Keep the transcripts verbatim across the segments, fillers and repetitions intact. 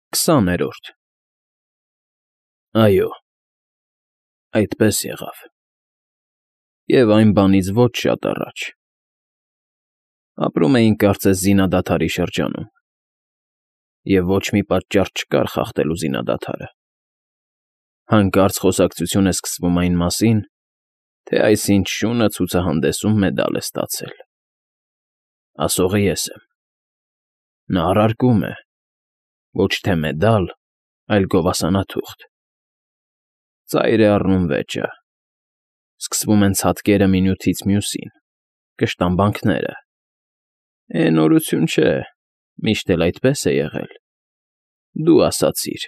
Քսաներորդ Այո, այդպես եղավ, և այն բանից ոչ շատ առաջ. ապրում էինք կարծես զինադադարի շրջանում, և ոչ մի պատճառ չկար խախտելու զինադադարը. հանկարծ խոսակցություն է սկսվում այն մասին, թե այսինչ շունը ցուցահանդեսում մեդալ է ստացել. ասողը ես եմ. նա առարկում է, ոչ թե մեդալ, այլ գովասանաթուղթ. ծայր է առնում վեճը, սկսվում են ցատկերը մինութից մյուսին, կշտամբանքները. է, նորություն չէ, միշտ էլ այդպես է եղել, դու ասացիր.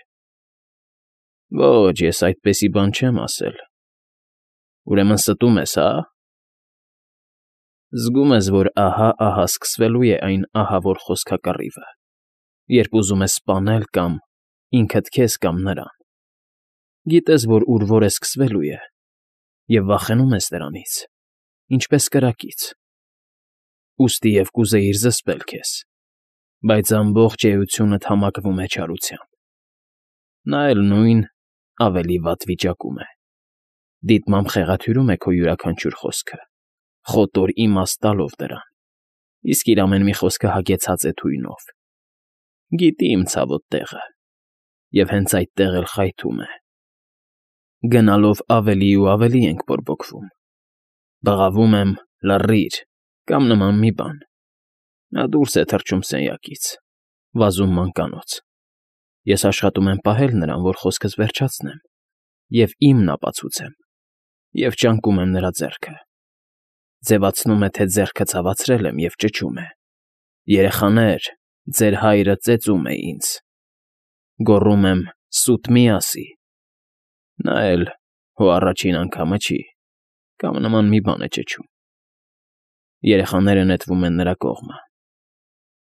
ոչ, ես այդպիսի բան չեմ ասել, ուրեմն ստում ես, հա՞, զգում ես, որ ահա֊ահա սկսվելու է այն ահավոր խոսքակռիվը, երբ ուզում ես սպանել կամ ինքդ քեզ կամ նրան, գիտես, որ ուր֊որ է սկսվելու է, և վախենում ես դրանից, ինչպես կրակից, ուստի և կուզեիր զսպել քեզ, բայց ամբողջ էությունդ համակվում է չարությամբ, նա էլ նույն, ավելի վատ վիճակում է, դիտմամբ խեղաթյուրում է քո յուրաքանչյուր խոսքը, խոտոր իմաստ տալով դրան, իսկ իր ամեն մի խոսքը հագեցած է թույնով, գիտի իմ ցավոտ տեղը, և հենց այդտեղ էլ խայթում է, գնալով ավելի ու ավելի ենք բորբոքվում, բղավում եմ «լռիր» կամ նման մի բան, նա դուրս է թռչում սենյակից, վազում մանկանոց, ես աշխատում եմ պահել նրան, որ խոսքս վերջացնեմ, և իմն ապացուցեմ, և ճանկում եմ նրա ձեռքը, ձևացնում է, թե ձեռքը ցավացրել եմ և ճչում է. երեխաներ, ձեր հայրը ծեծում է ինձ, գոռում եմ «սուտ մի ասի», նա էլ «հո առաջին անգամը չի» կամ նման մի բան է ճչում, երեխաները նետվում են նրա կողմը,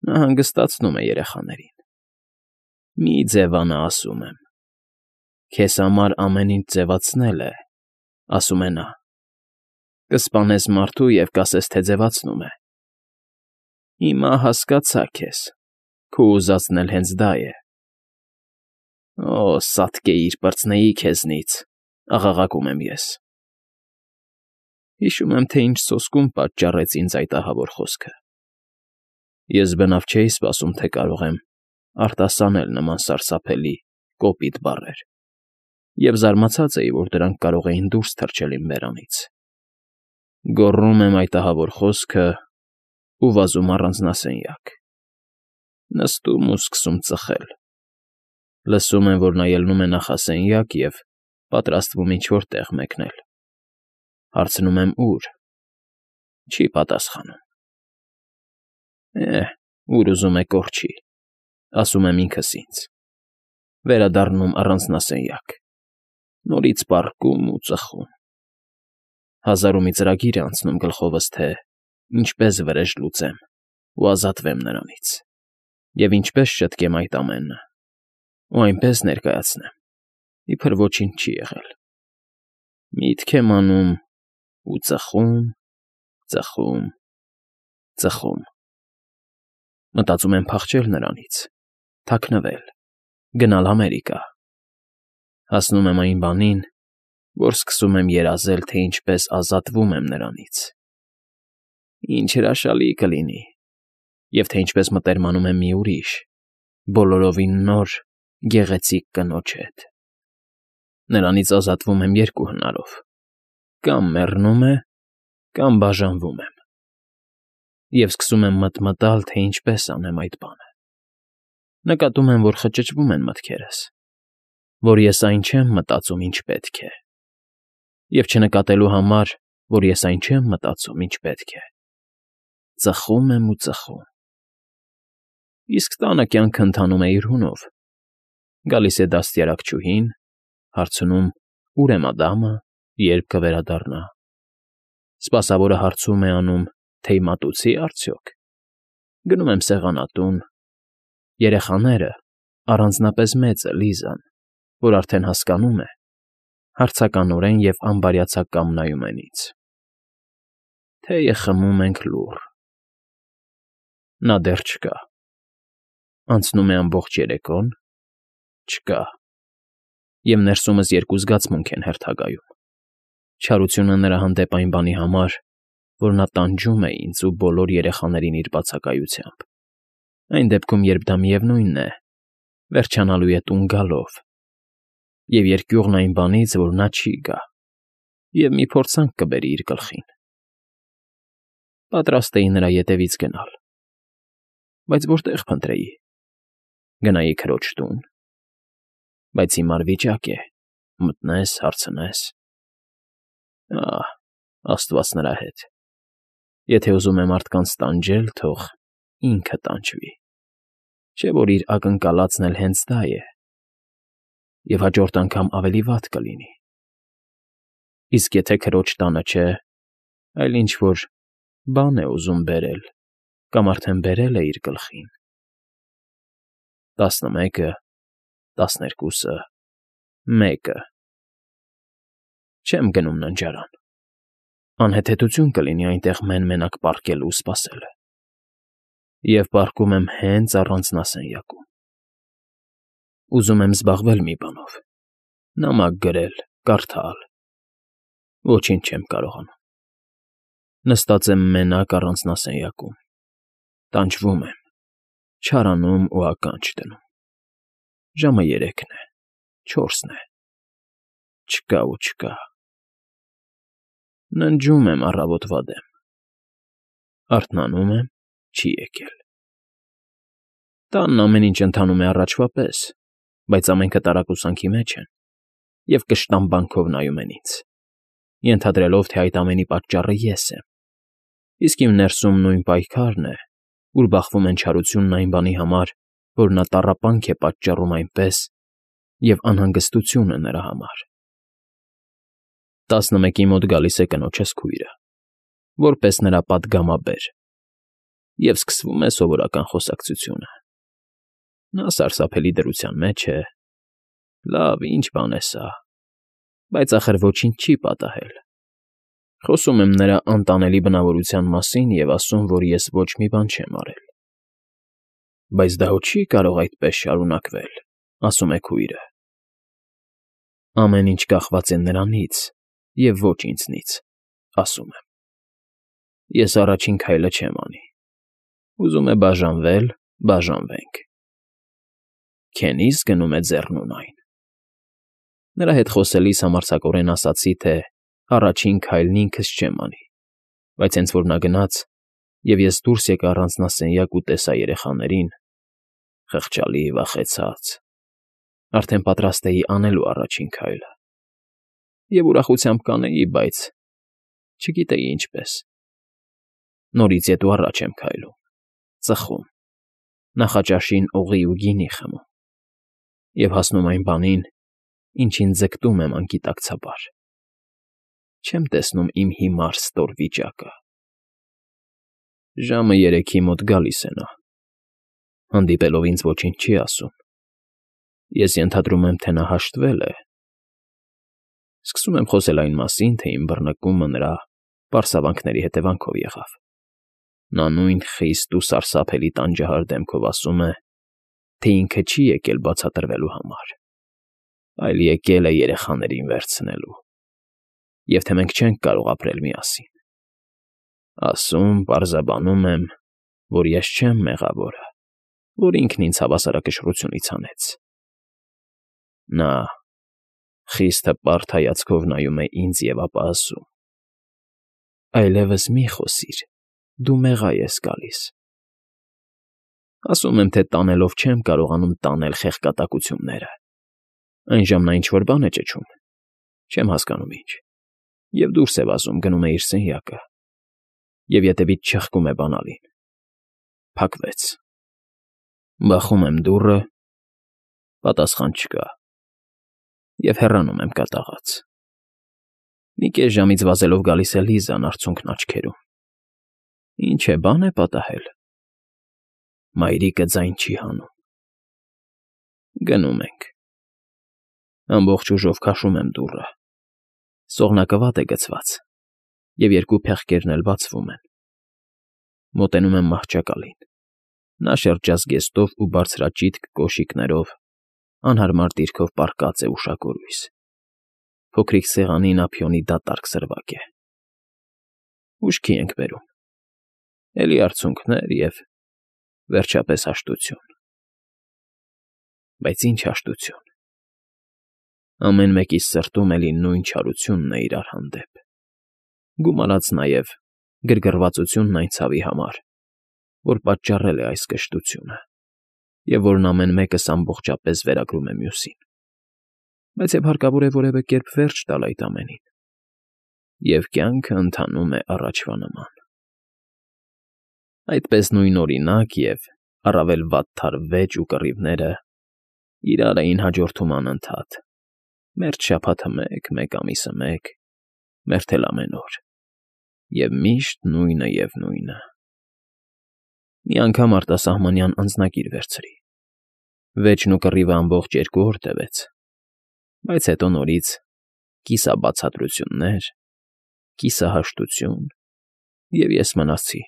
նա հանգստացնում է երեխաներին, մի ձևանա, ասում եմ, քեզ համար ամեն ինչ ձևացնել է, ասում է նա, կսպանես մարդու և կասես, թե ձևացնում է, հիմա հասկացա քեզ, քո ուզածն էլ հենց դա է, օ, սատկեիր, պրծնեի քեզնից, աղաղակում եմ ես, հիշում եմ, թե ինչ սոսկում պատճառեց ինձ այդ ահավոր խոսքը, ես բնավ չէի սպասում, թե կարող եմ արտասանել նման սարսափելի, կոպիտ բառեր, և զարմացած էի, որ դրանք կարող էին դուրս թռչել իմ բերանից, գոռում եմ այդ ահավոր խոսքը ու վազում առանձնասենյակ, նստում ու սկսում ծխել, լսում եմ, որ նա ելնում է նախասենյակ և պատրաստվում ինչ֊որ տեղ մեկնել, հարցնում եմ՝ ուր, չի պատասխանում, է, ուր ուզում է կորչի, ասում եմ ինքս ինձ, վերադառնում առանձնասենյակ, նորից պառկում ու ծխում, հազար ու մի ծրագիր է անցնում գլխովս, թե ինչպես վրեժ լուծեմ ու ազատվեմ նրանից, և ինչպես շտկեմ այդ ամենը ու այնպես ներկայացնեմ, իբր ոչինչ չի եղել, միտք եմ անում ու ծխում, ծխում, ծխում, մտածում եմ փախչել նրանից, թաքնվել, գնալ Ամերիկա, հասնում եմ այն բանին, որ սկսում եմ երազել, թե ինչպես ազատվում եմ նրանից, ինչ հրաշալի կլինի, և թե ինչպես մտերմանում եմ մի ուրիշ, բոլորովին նոր, գեղեցիկ կնոջ հետ, նրանից ազատվում եմ երկու հնարով, կամ մեռնում է, կամ բաժանվում եմ, և սկսում եմ մտմտալ, թե ինչպես անեմ այդ բանը, նկատում եմ, որ խճճվում են մտքերս, որ ես այն չեմ մտածում, ինչ պետք է, և չնկատելու համար, որ ես այն չեմ մտածում, ինչ պետք է, ծխում եմ ու ծխում, իսկ տանը կյանքն ընթանում է իր հունով, գալիս է դաստիարակչուհին, հարցնում՝ ուր է մադամը, երբ կվերադառնա, սպասավորը հարցում է անում, թե իմատուցի՞ արդյոք, գնում եմ սեղանատուն, երեխաները, առանձնապես մեծը՝ Լիզան, որ արդեն հասկանում է, հարցականորեն և անբարյացակամ նայում են ինձ, թեյը խմում ենք լուռ, նա դեռ չկա, անցնում է ամբողջ երեկոն, Չկա։ Եվ ներսումս երկու զգացմունք են հերթագայում. չարությունը նրա հանդեպ այն բանի համար, որ նա տանջում է ինձ ու բոլոր երեխաներին իր բացակայությամբ, այն դեպքում, երբ դա միևնույնն է, վերջանալու է տուն գալով, և երկյուղն այն բանից, որ նա չի գա, և մի փորձանք կբերի իր գլխին։ Պատրաստ էի նրա ետևից գնալ, բայց որտե՞ղ փնտրեի։ Գնայի քրոջ տուն, բայց հիմար վիճակ է, մտնես, հարցնես… Ահ, աստված նրա հետ… Եթե ուզում է մարդկանց տանջել, թող ինքը տանջվի, չէ՞ որ իր ակնկալածն էլ հենց դա է, և հաջորդ անգամ ավելի վատ կլինի։ Իսկ եթե քրոջ տանը չէ, այլ ինչ֊որ բան է ուզում բերել կամ արդեն բերել է իր գլխին… Տասնմեկը, տասներկուսը, մեկը… Չեմ գնում ննջարան… Անհեթեթություն կլինի այնտեղ մեն֊մենակ պառկել ու սպասելը… Եվ պառկում եմ հենց առանձնասենյակում… Ուզում եմ զբաղվել մի բանով, նամակ գրել, կարդալ… Ոչինչ չեմ կարողանում… Նստած եմ մենակ առանձնասենյակում, տանջվում եմ, չարանում ու ականջ դնում… Ժամը երեքն է, չորսն է… Չկա ու չկա… Ննջում եմ առավոտվա դեմ… Արթնանում եմ, չի եկել… Տանն ամեն ինչ ընթանում է առաջվա պես, բայց ամենքը տարակուսանքի մեջ են և կշտամբանքով նայում են ինձ, ենթադրելով, թե այդ ամենի պատճառը ես եմ, իսկ իմ ներսում նույն պայքարն է, ուր բախվում են չարությունն այն բանի համար, որ նա տառապանք է պատճառում այնպես, և անհանգստությունը նրա համար… Տասնմեկի մոտ գալիս է կնոջս քույրը, որպես նրա պատգամաբեր, և սկսվում է սովորական խոսակցությունը… Նա սարսափելի դրության մեջ է. լավ, ինչ բան է սա, բայց ախր ոչինչ չի պատահել… Խոսում եմ նրա անտանելի բնավորության մասին և ասում, որ ես ոչ մի բան չեմ արել… Բայց դա հո չի կարող այդպես շարունակվել, ասում է քույրը… Ամեն ինչ կախված է նրանից և ոչ ինձնից, ասում եմ… Ես առաջին քայլը չեմ անի… Ուզում է բաժանվել՝ բաժանվենք… Քենի՞ս գնում է ձեռնուն այն… Նրա հետ խոսելիս համարձակորեն ասացի, թե առաջին քայլն ինքս չեմ անի, բայց հենց որ նա գնաց, և ես դուրս եկա առանձնասենյակ ու տեսա երեխաներին, խղճալի վախեցած, արդեն պատրաստ էի անելու առաջին քայլը… Եվ ուրախությամբ կանեի, բայց չգիտեի ինչպես… Նորից ետ ու առաջ եմ քայլում, ծխում, նախաճաշին օղի ու գինի խմում… Եվ հասնում այն բանին, ինչին ձգտում եմ անգիտակցաբար… Չեմ տեսնում իմ հիմար ստոր վիճակը… Ժամը երեքի մոտ գալիս է նա… Հանդիպելով ինձ ոչինչ չի ասում… Ես ենթադրում եմ, թե նա հաշտվել է… Սկսում եմ խոսել այն մասին, թե իմ բռնկումը նրա պարսավանքների հետևանքով եղավ… Նա նույն խիստ ու սարսափելի տանջահար դեմքով ասում է, թե ինքը չի եկել բացատրվելու համար, այլ եկել է երեխաներին վերցնելու, և թե մենք չենք կարող ապրել միասին… Ասում, պարզաբանում եմ, որ ես չեմ մեղավորը, որ ինքն ինձ հավասարակշռությունից հանեց… Նա խիստ հպարտ հայացքով նայում է ինձ և ապա ասում. «Այլևս մի խոսիր, դու մեղա ես գալիս»… Ասում եմ, թե տանելով չեմ կարողանում տանել խեղճատակությունները… Այժմ նա ինչ֊որ բան է ճչում, չեմ հասկանում ինչ, և դուրս է վազում, գնում է իր սենյակը, և ետևից չխկում է բանալին… Փակվեց… Բախում եմ դուռը… Պատասխան չկա… Եվ հեռանում եմ կատաղած… Մի կես ժամից վազելով գալիս է Լիզան արցունքն աչքերում… Ինչ է, բան է պատահել… Մայրիկը ձայն չի հանում… Գնում ենք… Ամբողջ ուժով քաշում եմ դուռը… Սողնակը վատ է գցված, և երկու փեղկերն էլ բացվում են… Մոտենում եմ մահճակալին… Նա շրջազգեստով ու բարձրաճիտ կոշիկներով անհարմար դիրքով պառկած է ուշագորույս, փոքրիկ սեղանին ափիոնի դատարկ սրվակ է։ Ուշքի ենք բերում, էլի արցունքներ և, վերջապես, հաշտություն։ Բայց ինչ հաշտություն… Ամեն մեկիս սրտում էլի նույն չարությունն է իրար հանդեպ, գումարած նաև գրգռվածությունն այն ցավի համար, որ պատճառել է այս կշտությունը և որն ամեն մեկս ամբողջապես վերագրում է մյուսին, բայց և հարկավոր է որևէ կերպ վերջ տալ այդ ամենին, և կյանքը ընթանում է առաջվա նման։ Այդպես նույնօրինակ և, առավել վատթար վեճ ու կռիվները իրար էին հաջորդում անընդհատ, մերթ շաբաթը մեկ, մեկ ամիսը մեկ, մերթ էլ ամեն օր, և միշտ նույնը և նույնը… Մի անգամ արտասահմանյան անձնագիր վերցրի, վեճն ու կռիվը ամբողջ երկու օր տևեց, բայց հետո նորից կիսաբացատրություններ, կիսահաշտություն, և ես մնացի։